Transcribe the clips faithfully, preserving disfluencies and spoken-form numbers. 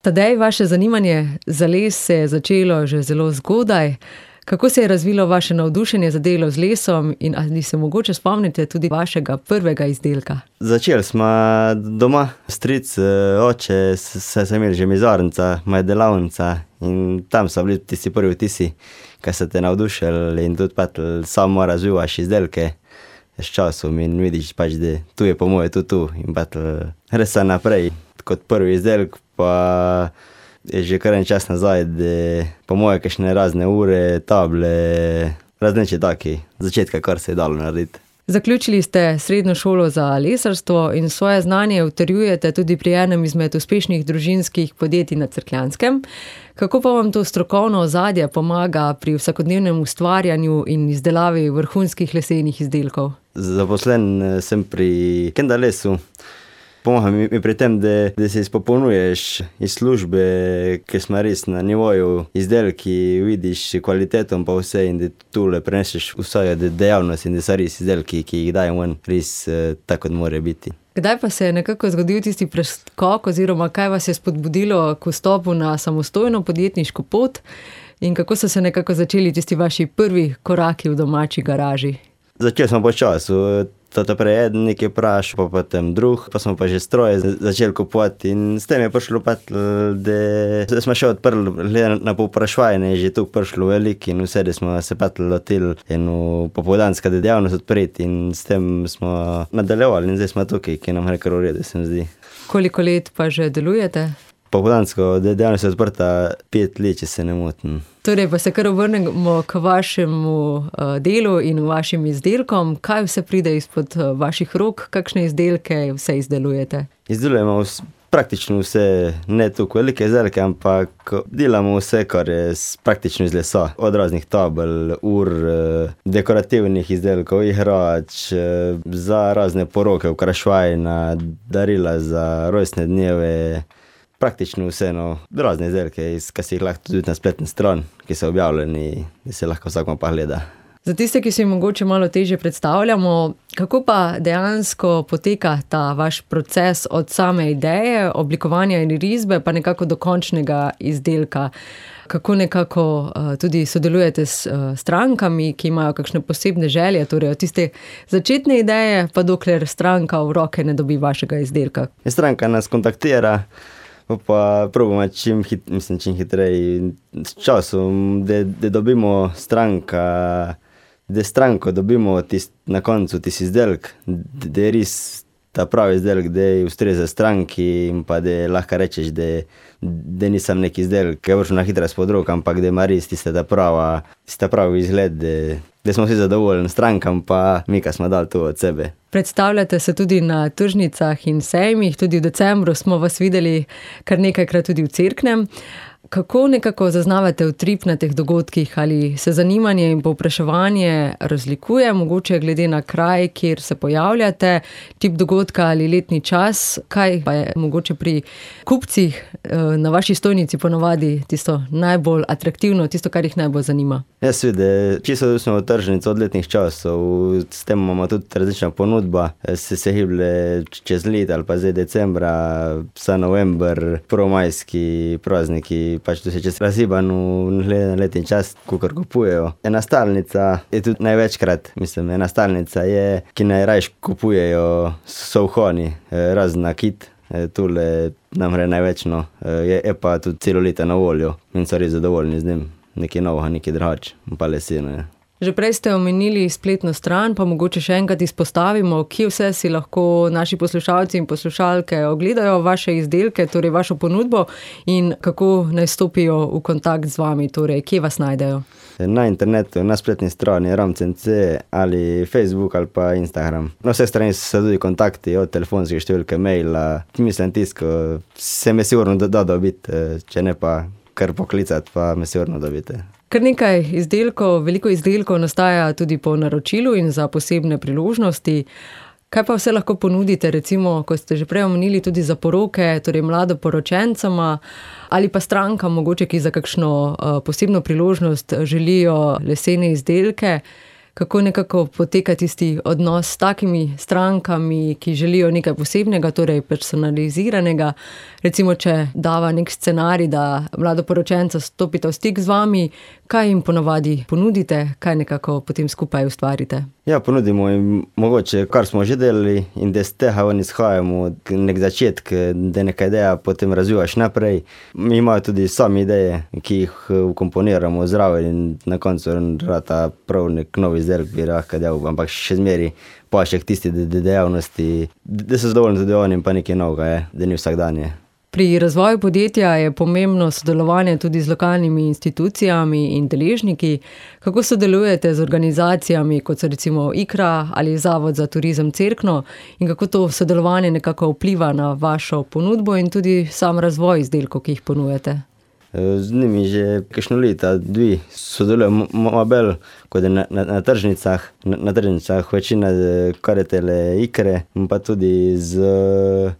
Tadej, vaše zanimanje za les se je začelo že zelo zgodaj. Kako se je razvilo vaše navdušenje za delo z lesom in ali se mogoče spomnite tudi vašega prvega izdelka? Začeli smo doma, stric, oče, saj so imeli že mizarnica, moja delavnica in tam so bili tisti prvi vtisi, ki so te navdušili in tudi pač samo razvijaš izdelke s časom in vidiš pač, da tu je po moje tu tu in pač res se naprej. Kot prvi izdelek pa je že kar en čas nazaj, da po moje kakšne razne ure, table, različni taki začetka, kar se je dalo narediti. Zaključili ste srednjo šolo za lesarstvo in svoje znanje utrjujete tudi pri enem izmed uspešnih družinskih podjetij na Cerkljanskem. Kako pa vam to strokovno ozadje pomaga pri vsakodnevnem ustvarjanju in izdelavi vrhunskih lesenih izdelkov? Zaposlen sem pri Kenda lesu. Pomaga mi pri tem, da, da se izpopolnjuješ iz službe, ker smo res na nivoju izdelki, vidiš kvalitetom pa vse in da tule preneseš vse dejavnost in da so res izdelki, ki jih dajem ven, res tako, kot mora biti. Kdaj pa se je nekako zgodil tisti preskok oziroma kaj vas je spodbudilo k vstopu na samostojno podjetniško pot in kako so se nekako začeli tisti vaši prvi koraki v domači garaži? Začeli smo po času. Tata prej eden nekaj prašal, pa potem drug, pa smo pa že stroje začeli kupovati in s tem je prišlo pa, da smo še odprli, glede na povpraševanje, je že tu prišlo veliko in vse, da smo se pa lotili eno popoldanska dejavnost odpreti in s tem smo nadaljevali in zdaj smo tukaj, ki nam gre kar v redu, se mi zdi. Koliko let pa že delujete? Popoldansko dejavnost je odprta pet let, če se ne motim. Torej pa se kar obrnemo k vašemu uh, delu in vašim izdelkom. Kaj vse pride izpod uh, vaših rok? Kakšne izdelke vse izdelujete? Izdelujemo vse, praktično vse, ne toliko velike izdelke, ampak delamo vse, kar je praktično iz lesa. Od raznih tabel, ur, dekorativnih izdelkov, igrač, za razne poroke, okraševanja, darila za rojstne dneve. Praktično vse, no, razne izdelke, ki si jih lahko tudi na spletni stran, ki so objavljeni, da se lahko vsakmo pa gleda. Za tiste, ki si mogoče malo težje predstavljamo, kako pa dejansko poteka ta vaš proces od same ideje, oblikovanja in risbe, pa nekako do končnega izdelka? Kako nekako uh, tudi sodelujete s uh, strankami, ki imajo kakšne posebne želje, torej od tiste začetne ideje, pa dokler stranka v roke ne dobi vašega izdelka? Stranka nas kontaktira, pa probamo čim, hit, mislim, čim hitrej s časom, da, da dobimo stranka, da stranko dobimo tist, na koncu tisti izdelek, da, da je res ta pravi izdelek, da je ustreza stranki in pa da lahko rečeš, da, da nisem neki izdelek, ki je vršel na hitra spod rok, ampak da ima res tista ta prava, tista pravi izgled, da, da smo vsi zadovoljni strankam, pa mi, ki smo dali to od sebe. Predstavljate se tudi na tržnicah in sejmih, tudi v decembru smo vas videli kar nekajkrat tudi v Cerknem. Kako nekako zaznavate utrip na teh dogodkih? Ali se zanimanje in povpraševanje razlikuje, mogoče glede na kraj, kjer se pojavljate, tip dogodka ali letni čas? Kaj pa je mogoče pri kupcih na vaši stojnici ponovadi tisto najbolj atraktivno, tisto, kar jih najbolj zanima? Jaz vidim, čisto smo v tržnici od letnih časov, s tem imamo tudi različna ponudba, se se hiblje čez let ali pa zdaj decembra, vsa november, prvomajski prazniki, pač tu se čez raziban v letni čas, kukor kupujejo. Ena stalnica je tudi največkrat, mislim, ena stalnica je, ki najrajš kupujejo souhoni, razen nakit, tule nam gre največno, je, je pa tudi celo leta na voljo in so res zadovoljni z njim. Nekaj novega, nekaj drugače, pa leseno je. Že prej ste omenili spletno stran, pa mogoče še enkrat izpostavimo, kje vse si lahko naši poslušalci in poslušalke ogledajo vaše izdelke, torej vašo ponudbo in kako naj stopijo v kontakt z vami, torej kje vas najdejo? Na internetu, na spletni strani ram.cc ali Facebook ali pa Instagram. Na vseh strani so tudi kontakti, od telefonske številke, maila, mislim tisko, se me sigurno da dobiti, če ne pa kar poklicati, pa me sigurno dobite. Kar nekaj izdelkov, veliko izdelkov nastaja tudi po naročilu in za posebne priložnosti. Kaj pa vse lahko ponudite, recimo, ko ste že prej omenili, tudi za poroke, torej mladoporočencama ali pa strankam, mogoče, ki za kakšno uh, posebno priložnost želijo lesene izdelke? kako nekako poteka tisti odnos s takimi strankami, ki želijo nekaj posebnega, torej personaliziranega. Recimo, če dava nek scenarij, da mladoporočenca stopita v stik z vami, kaj jim ponavadi ponudite, kaj nekako potem skupaj ustvarite? Ja, ponudimo jim mogoče, kar smo že delali in da z tega oni izhajamo, nek začetek, da neka ideja potem razvijaš naprej. Mi imajo tudi sami ideje, ki jih vkomponiramo zraven in na koncu rata prav nek novi izdelek bi lahko delal, ampak še zmeri paše k tisti dejavnosti, da so zadovoljni tudi oni in pa nekaj novega je, da ni vsakdanje. Pri razvoju podjetja je pomembno sodelovanje tudi z lokalnimi institucijami in deležniki. Kako sodelujete z organizacijami, kot so recimo Ikra ali Zavod za turizem Cerkno, in kako to sodelovanje nekako vpliva na vašo ponudbo in tudi sam razvoj izdelkov, ki jih ponujate? Z njimi že kakšno leta, dve sodelujemo malo bolj, kot je na, na, na tržnicah. Na, na tržnicah večina kar je tele Ikre, pa tudi z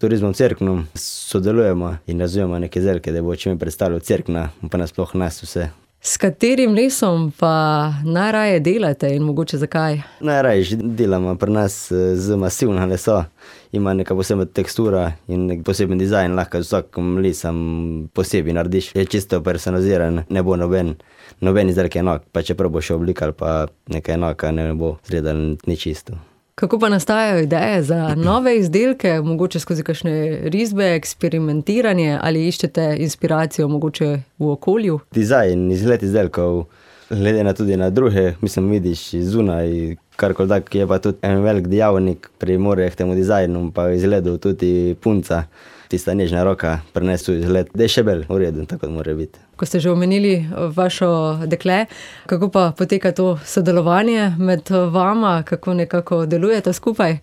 turizmom Cerknom sodelujemo in razvijamo neke izdelke, da bo čim predstavljal Cerkna, pa nasploh nas vse. S katerim lesom pa najraje delate in mogoče zakaj? Najraje že delamo pri nas z masivna lesa. Ima neka posebna tekstura in nek poseben dizajn, lahko z vsakim lesom posebej narediš. Je čisto personaliziran, ne bo noben, noben izdelek enak, pa čeprav bo še oblika ali pa nekaj enaka, ne bo zredal ni čisto. Kako pa nastajajo ideje za nove izdelke, mogoče skozi kakšne risbe, eksperimentiranje ali iščete inspiracijo mogoče v okolju? Dizajn, izgled izdelkov, glede na tudi na druge, mislim, vidiš zunaj, karkoli tak, je pa tudi en velik dejavnik pri more k temu dizajnu, pa izgledu tudi punca, tista nežna roka prinesu izgled, da je še bolj v redu, tako da mora biti. Ko ste že omenili vašo dekle, kako pa poteka to sodelovanje med vama, kako nekako delujete skupaj?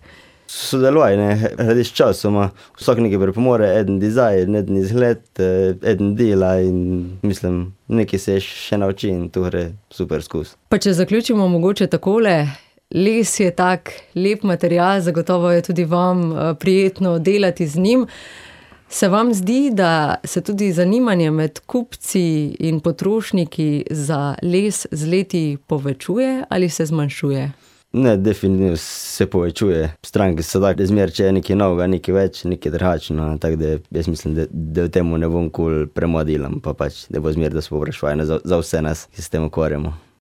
Sodelovanje, radiš časoma, vsak nekaj pripomore, eden dizajn, eden izgled, eden dela in mislim, nekaj se še nauči in to gre super skus. Pa če zaključimo mogoče takole, les je tak lep material, zagotovo je tudi vam prijetno delati z njim. Se vam zdi, da se tudi zanimanje med kupci in potrošniki za les z leti povečuje ali se zmanjšuje? Ne, definitivno se povečuje. Stranke so tako, da zmer, če je nekaj novega, nekaj več, nekaj drugačno, tako da jaz mislim, da, da v temu ne bom kul premodilam, pa pač, da bo zmer, da se povprašvajo za, za vse nas, ki se s tem ukvarjamo.